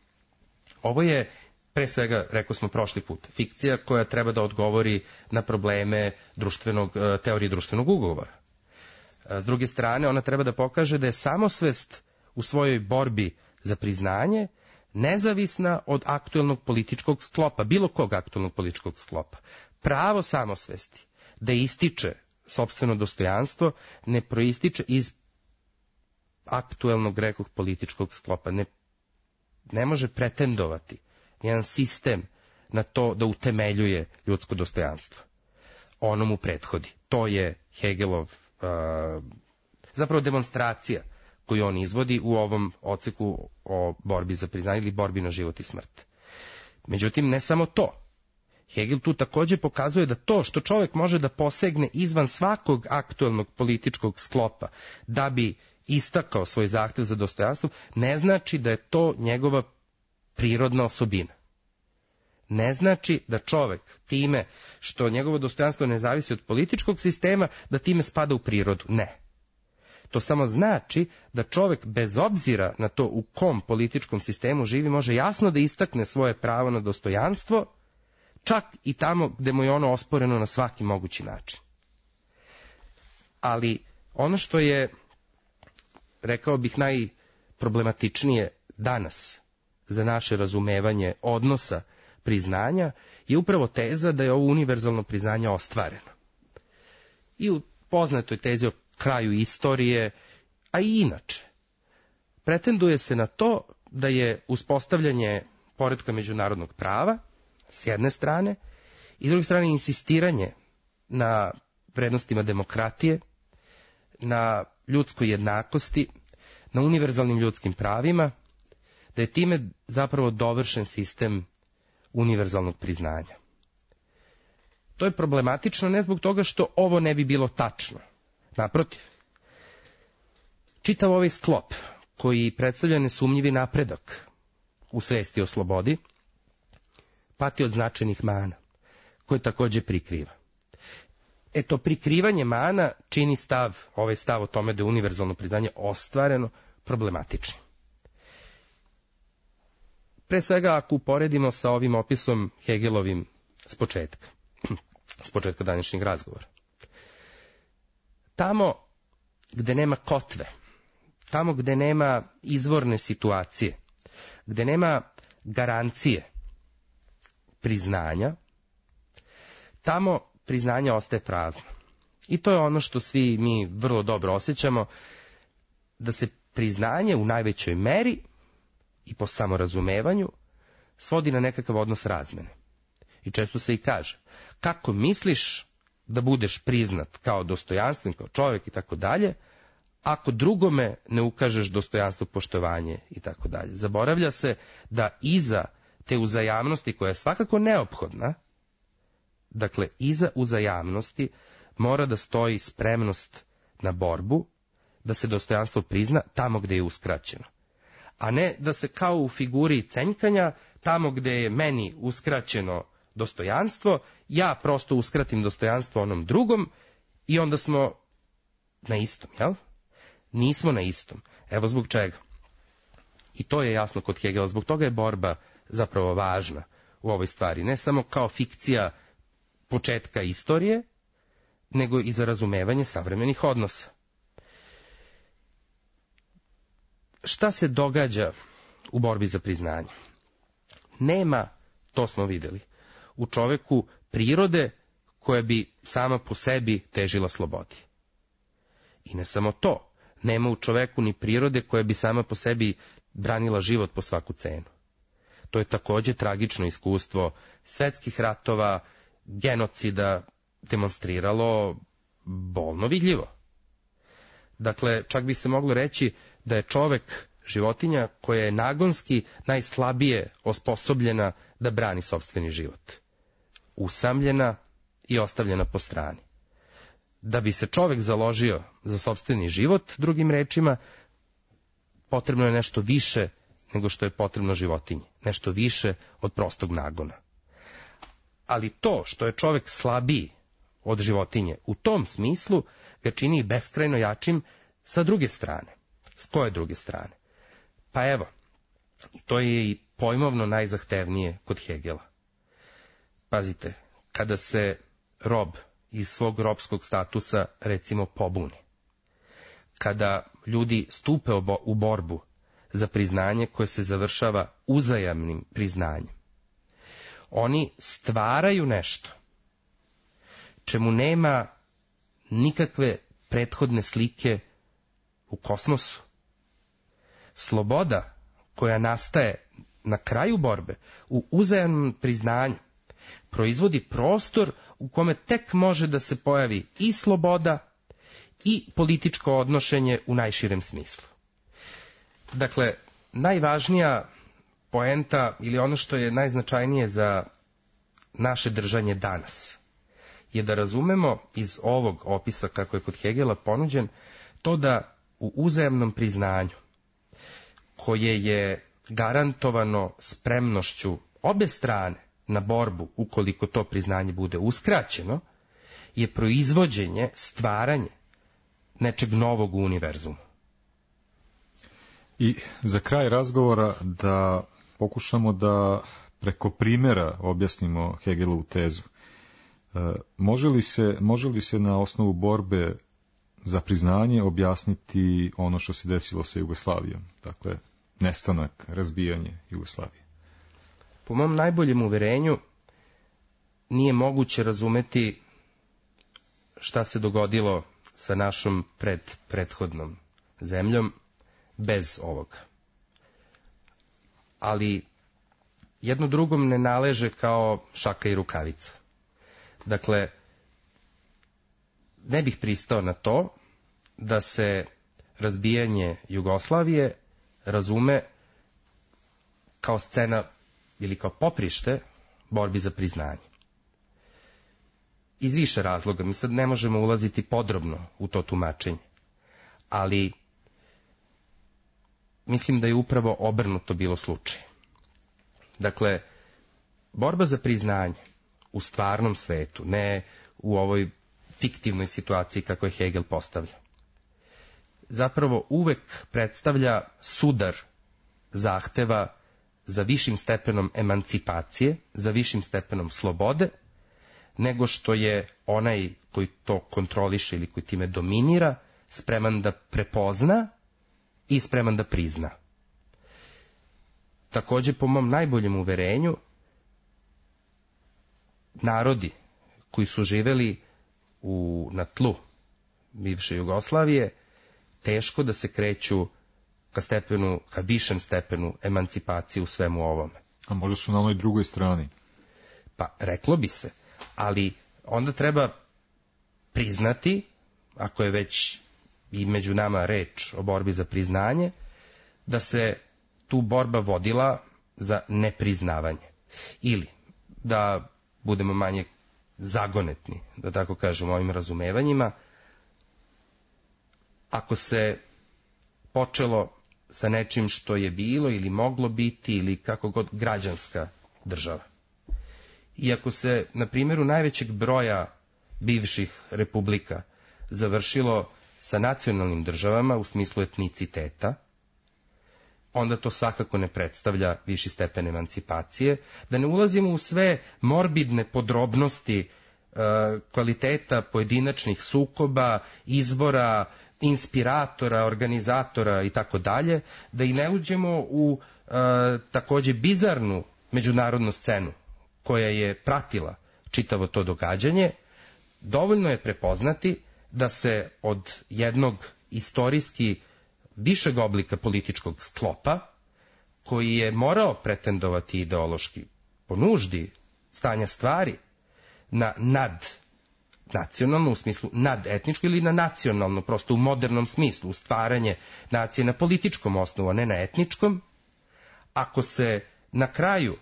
Ovo je, pre svega, rekao smo prošli put, fikcija koja treba da odgovori na probleme društvenog, teorije društvenog ugovora. S druge strane, ona treba da pokaže da je samosvest u svojoj borbi za priznanje nezavisna od aktuelnog političkog sklopa, bilo kog aktuelnog političkog sklopa. Pravo samosvesti da ističe sopstveno dostojanstvo ne proističe iz aktuelnog, rekoh, političkog sklopa. Ne, ne može pretendovati jedan sistem na to da utemeljuje ljudsko dostojanstvo. Ono mu prethodi. To je Hegelov uh, zapravo demonstracija koju on izvodi u ovom odseku o borbi za priznanje ili borbi na život i smrt. Međutim, ne samo to. Hegel tu takođe pokazuje da to što čovjek može da posegne izvan svakog aktuelnog političkog sklopa da bi istakao svoj zahtev za dostojanstvo, ne znači da je to njegova prirodna osobina. Ne znači da čovjek time što njegovo dostojanstvo ne zavisi od političkog sistema, da time spada u prirodu. Ne. To samo znači da čovjek bez obzira na to u kom političkom sistemu živi može jasno da istakne svoje pravo na dostojanstvo, čak i tamo gde mu je ono osporeno na svaki mogući način. Ali ono što je, rekao bih, najproblematičnije danas za naše razumevanje odnosa priznanja je upravo teza da je ovo univerzalno priznanje ostvareno. I u poznatoj tezi o kraju istorije, a i inače, pretenduje se na to da je uspostavljanje poretka međunarodnog prava s jedne strane i s druge strane insistiranje na vrednostima demokratije, na ljudskoj jednakosti, na univerzalnim ljudskim pravima, da je time zapravo dovršen sistem univerzalnog priznanja. To je problematično ne zbog toga što ovo ne bi bilo tačno. Naprotiv, čitav ovaj sklop koji predstavlja nesumnjivi napredak u svesti o slobodi pati od značajnih mana, koje takođe prikriva. Eto, prikrivanje mana čini stav, ovaj stav o tome da je univerzalno priznanje ostvareno, problematičnim. Pre svega, ako uporedimo sa ovim opisom Hegelovim s početka, s početka današnjeg razgovora. Tamo gde nema kotve, tamo gde nema izvorne situacije, gde nema garancije priznanja, tamo priznanje ostaje prazno. I to je ono što svi mi vrlo dobro osjećamo, da se priznanje u najvećoj meri i po samorazumevanju svodi na nekakav odnos razmene. I često se i kaže, kako misliš da budeš priznat kao dostojanstven, kao čovjek i tako dalje, ako drugome ne ukažeš dostojanstvo, poštovanje i tako dalje. Zaboravlja se da iza te uzajamnosti, koja je svakako neophodna, dakle, iza uzajamnosti mora da stoji spremnost na borbu, da se dostojanstvo prizna tamo gde je uskraćeno. A ne da se kao u figuri cenjkanja, tamo gde je meni uskraćeno dostojanstvo, ja prosto uskratim dostojanstvo onom drugom i onda smo na istom, jel? Nismo na istom. Evo zbog čega. I to je jasno kod Hegela, zbog toga je borba zapravo važna u ovoj stvari. Ne samo kao fikcija početka istorije, nego i za razumevanje savremenih odnosa. Šta se događa u borbi za priznanje? Nema, to smo videli, u čoveku prirode koja bi sama po sebi težila slobodi. I ne samo to, nema u čoveku ni prirode koja bi sama po sebi branila život po svaku cenu. To je takođe tragično iskustvo svetskih ratova, genocida, demonstriralo bolno vidljivo. Dakle, čak bi se moglo reći da je čovek životinja koja je nagonski najslabije osposobljena da brani sopstveni život. Usamljena i ostavljena po strani. Da bi se čovek založio za sopstveni život, drugim rečima, potrebno je nešto više nego što je potrebno životinji. Nešto više od prostog nagona. Ali to što je čovek slabiji od životinje, u tom smislu ga čini beskrajno jačim sa druge strane. S koje druge strane? Pa evo, to je i pojmovno najzahtevnije kod Hegela. Pazite, kada se rob iz svog robskog statusa, recimo, pobuni, kada ljudi stupe u borbu za priznanje koje se završava uzajamnim priznanjem, oni stvaraju nešto čemu nema nikakve prethodne slike u kosmosu. Sloboda koja nastaje na kraju borbe, u uzajamnom priznanju, proizvodi prostor u kome tek može da se pojavi i sloboda i političko odnošenje u najširem smislu. Dakle, najvažnija poenta ili ono što je najznačajnije za naše držanje danas je da razumemo iz ovog opisa kako je kod Hegela ponuđen to da u uzajamnom priznanju, koje je garantovano spremnošću obe strane na borbu ukoliko to priznanje bude uskraćeno, je proizvođenje, stvaranje nečeg novog u univerzumu. I za kraj razgovora da pokušamo da preko primjera objasnimo Hegelovu tezu. E, može li se, može li se na osnovu borbe za priznanje objasniti ono što se desilo sa Jugoslavijom? Dakle, nestanak, razbijanje Jugoslavije. Po mom najboljem uverenju nije moguće razumeti šta se dogodilo sa našom pred, prethodnom zemljom bez ovoga. Ali jedno drugom ne naleže kao šaka i rukavica. Dakle, ne bih pristao na to da se razbijanje Jugoslavije razume kao scena ili kao poprište borbi za priznanje. Iz više razloga, mi sad ne možemo ulaziti podrobno u to tumačenje, ali mislim da je upravo obrnuto bilo slučaj. Dakle, borba za priznanje u stvarnom svetu, ne u ovoj fiktivnoj situaciji kako je Hegel postavlja. Zapravo uvek predstavlja sudar zahteva za višim stepenom emancipacije, za višim stepenom slobode, nego što je onaj koji to kontroliše ili koji time dominira spreman da prepozna i spreman da prizna. Takođe, po mom najboljem uverenju, narodi koji su živeli u, na tlu bivše Jugoslavije, teško da se kreću ka stepenu, ka višem stepenu emancipacije u svemu ovome. A možda su na onoj drugoj strani? Pa, reklo bi se, ali onda treba priznati, ako je već i među nama reč o borbi za priznanje, da se tu borba vodila za nepriznavanje. Ili, da budemo manje zagonetni, da tako kažem, ovim razumevanjima, ako se počelo sa nečim što je bilo ili moglo biti ili kako god građanska država. Iako se na primjeru najvećeg broja bivših republika završilo sa nacionalnim državama u smislu etniciteta, onda to svakako ne predstavlja viši stepen emancipacije, da ne ulazimo u sve morbidne podrobnosti e, kvaliteta pojedinačnih sukoba, izvora, inspiratora, organizatora i tako dalje, da i ne uđemo u e, takođe bizarnu međunarodnu scenu koja je pratila čitavo to događanje. Dovoljno je prepoznati da se od jednog istorijski višeg oblika političkog sklopa, koji je morao pretendovati ideološki po nuždi stanja stvari na nadnacionalno, u smislu nadetničko, ili na nacionalno, prosto u modernom smislu, u stvaranje nacije na političkom osnovu, a ne na etničkom, ako se na kraju,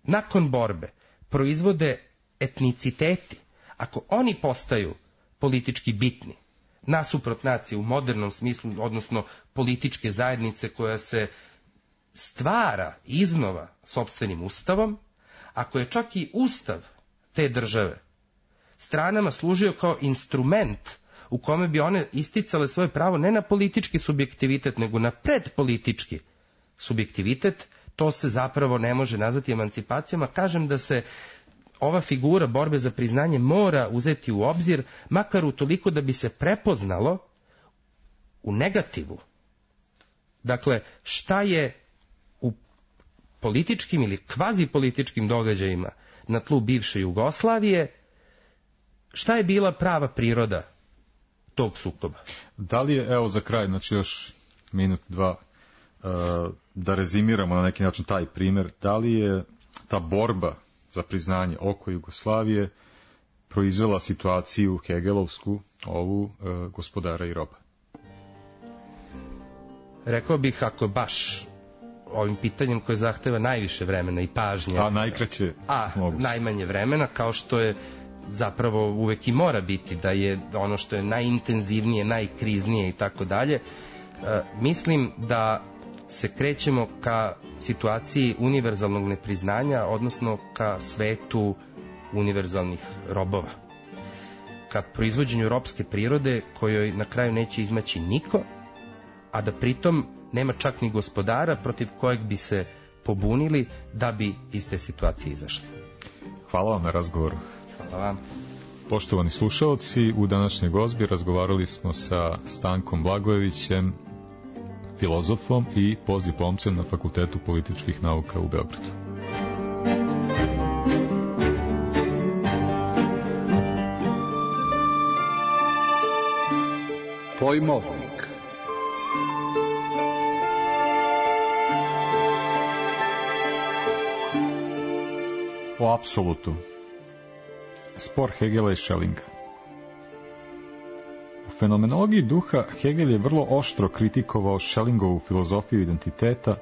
nakon borbe, proizvode etniciteti, ako oni postaju politički bitni, nasuprot nacije u modernom smislu, odnosno političke zajednice koja se stvara iznova sopstvenim ustavom, ako je čak i ustav te države stranama služio kao instrument u kome bi one isticale svoje pravo ne na politički subjektivitet, nego na predpolitički subjektivitet, to se zapravo ne može nazvati emancipacijama. Kažem da se ova figura borbe za priznanje mora uzeti u obzir, makar utoliko da bi se prepoznalo u negativu. Dakle, šta je u političkim ili kvazipolitičkim događajima na tlu bivše Jugoslavije, šta je bila prava priroda tog sukoba? Da li je, evo za kraj, znači još minut, dva, da rezimiramo na neki način taj primjer, da li je ta borba za priznanje oko Jugoslavije proizvela situaciju hegelovsku, ovu e, gospodara i roba? Rekao bih, ako baš ovim pitanjem koje zahteva najviše vremena i pažnje, a najkraće a moguće. Najmanje vremena, kao što je zapravo uvek i mora biti, da je ono što je najintenzivnije, najkriznije i tako dalje, mislim da se krećemo ka situaciji univerzalnog nepriznanja, odnosno ka svetu univerzalnih robova. Ka proizvođenju robske prirode kojoj na kraju neće izmaći niko, a da pritom nema čak ni gospodara protiv kojeg bi se pobunili da bi iz te situacije izašli. Hvala vam na razgovoru. Hvala vam. Poštovani slušaoci, u današnjoj gozbi razgovarali smo sa Stankom Blagojevićem, filozofom i postdiplomcem na Fakultetu političkih nauka u Beogradu. Pojmovnik. O apsolutu. Spor Hegela i Schellinga. U fenomenologiji duha Hegel je vrlo oštro kritikovao Schellingovu filozofiju identiteta,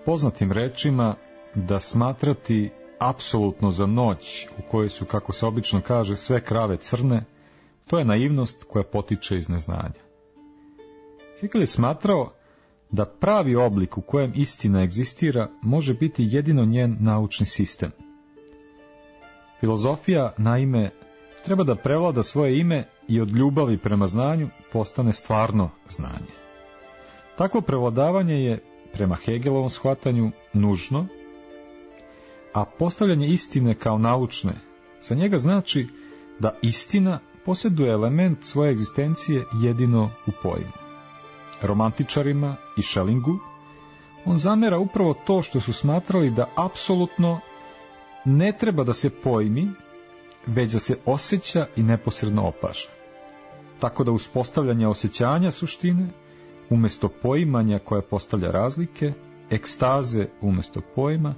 poznatim rečima da smatrati apsolutno za noć u kojoj su, kako se obično kaže, sve krave crne, to je naivnost koja potiče iz neznanja. Hegel je smatrao da pravi oblik u kojem istina egzistira može biti jedino njen naučni sistem. Filozofija, naime, treba da prevlada svoje ime i od ljubavi prema znanju postane stvarno znanje. Takvo prevladavanje je, prema Hegelovom shvatanju, nužno, a postavljanje istine kao naučne za njega znači da istina posjeduje element svoje egzistencije jedino u pojmu. Romantičarima i Schellingu on zamera upravo to što su smatrali da apsolutno ne treba da se pojmi, već da se osjeća i neposredno opaža. Tako da uspostavljanje osjećanja suštine, umjesto poimanja koje postavlja razlike, ekstaze umjesto pojma,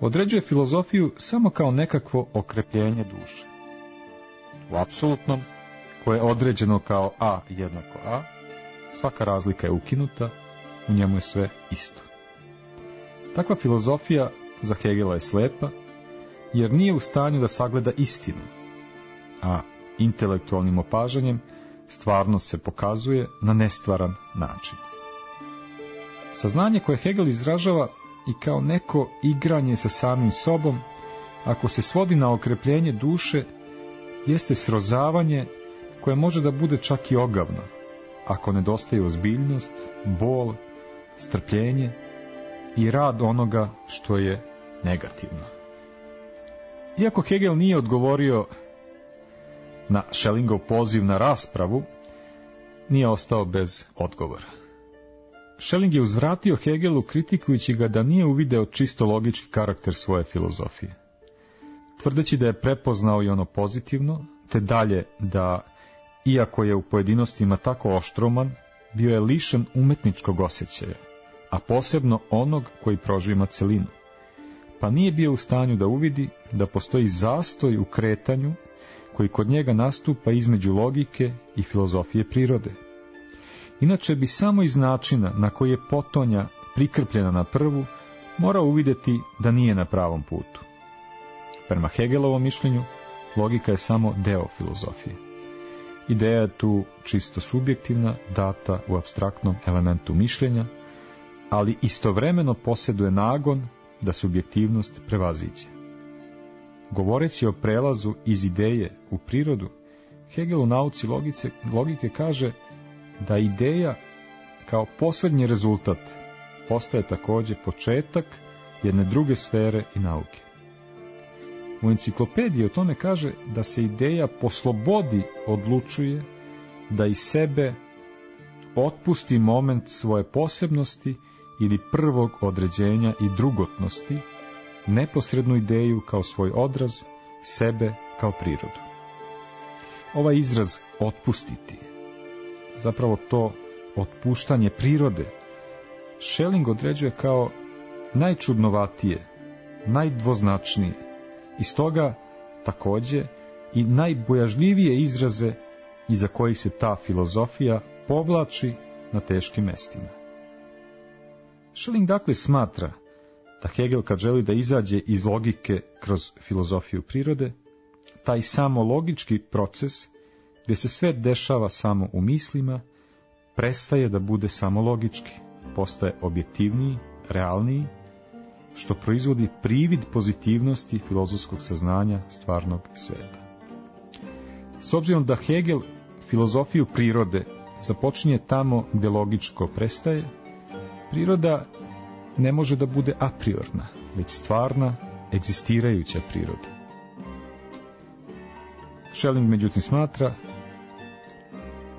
određuje filozofiju samo kao nekakvo okrepljenje duše. U apsolutnom, koje je određeno kao A jednako A, svaka razlika je ukinuta, u njemu je sve isto. Takva filozofija za Hegela je slepa, jer nije u stanju da sagleda istinu, a intelektualnim opažanjem stvarnost se pokazuje na nestvaran način. Saznanje koje Hegel izražava i kao neko igranje sa samim sobom, ako se svodi na okrepljenje duše, jeste srozavanje koje može da bude čak i ogavno, ako nedostaje ozbiljnost, bol, strpljenje i rad onoga što je negativno. Iako Hegel nije odgovorio na Schellingov poziv na raspravu, nije ostao bez odgovora. Schelling je uzvratio Hegelu kritikujući ga da nije uvideo čisto logički karakter svoje filozofije. Tvrdeći da je prepoznao i ono pozitivno, te dalje da, iako je u pojedinostima tako oštroman, bio je lišen umetničkog osjećaja, a posebno onog koji prožima celinu, pa nije bio u stanju da uvidi da postoji zastoj u kretanju koji kod njega nastupa između logike i filozofije prirode. Inače bi samo iz načina na koji je potonja prikrpljena na prvu morao uvidjeti da nije na pravom putu. Prema Hegelovom mišljenju, logika je samo deo filozofije. Ideja je tu čisto subjektivna, data u apstraktnom elementu mišljenja, ali istovremeno posjeduje nagon da subjektivnost prevaziđe. Govoreći o prelazu iz ideje u prirodu, Hegel u nauci logice, logike kaže da ideja kao posljednji rezultat postaje također početak jedne druge sfere i nauke. U enciklopediji o tome kaže da se ideja po slobodi odlučuje da iz sebe otpusti moment svoje posebnosti ili prvog određenja i drugotnosti, neposrednu ideju kao svoj odraz, sebe kao prirodu. Ovaj izraz otpustiti, zapravo to otpuštanje prirode, Schelling određuje kao najčudnovatije, najdvoznačnije, i stoga također i najbojažljivije izraze iza kojih se ta filozofija povlači na teškim mestima. Schelling dakle smatra da Hegel, kad želi da izađe iz logike kroz filozofiju prirode, taj samo logički proces, gdje se sve dešava samo u mislima, prestaje da bude samo logički, postaje objektivniji, realniji, što proizvodi privid pozitivnosti filozofskog saznanja stvarnog sveta. S obzirom da Hegel filozofiju prirode započinje tamo gdje logičko prestaje, priroda ne može da bude a priorna, već stvarna, egzistirajuća priroda. Schelling međutim smatra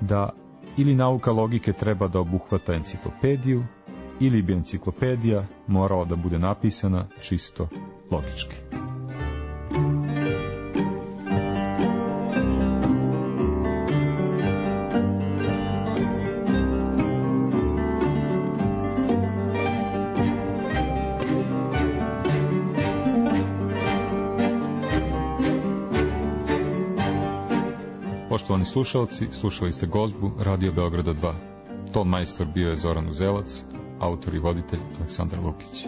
da ili nauka logike treba da obuhvata enciklopediju, ili bi enciklopedija morala da bude napisana čisto logički. Poštovani slušalci, slušali ste Gozbu Radio Beograda dva. Ton majstor bio je Zoran Uzelac, autor i voditelj Aleksandar Lukić.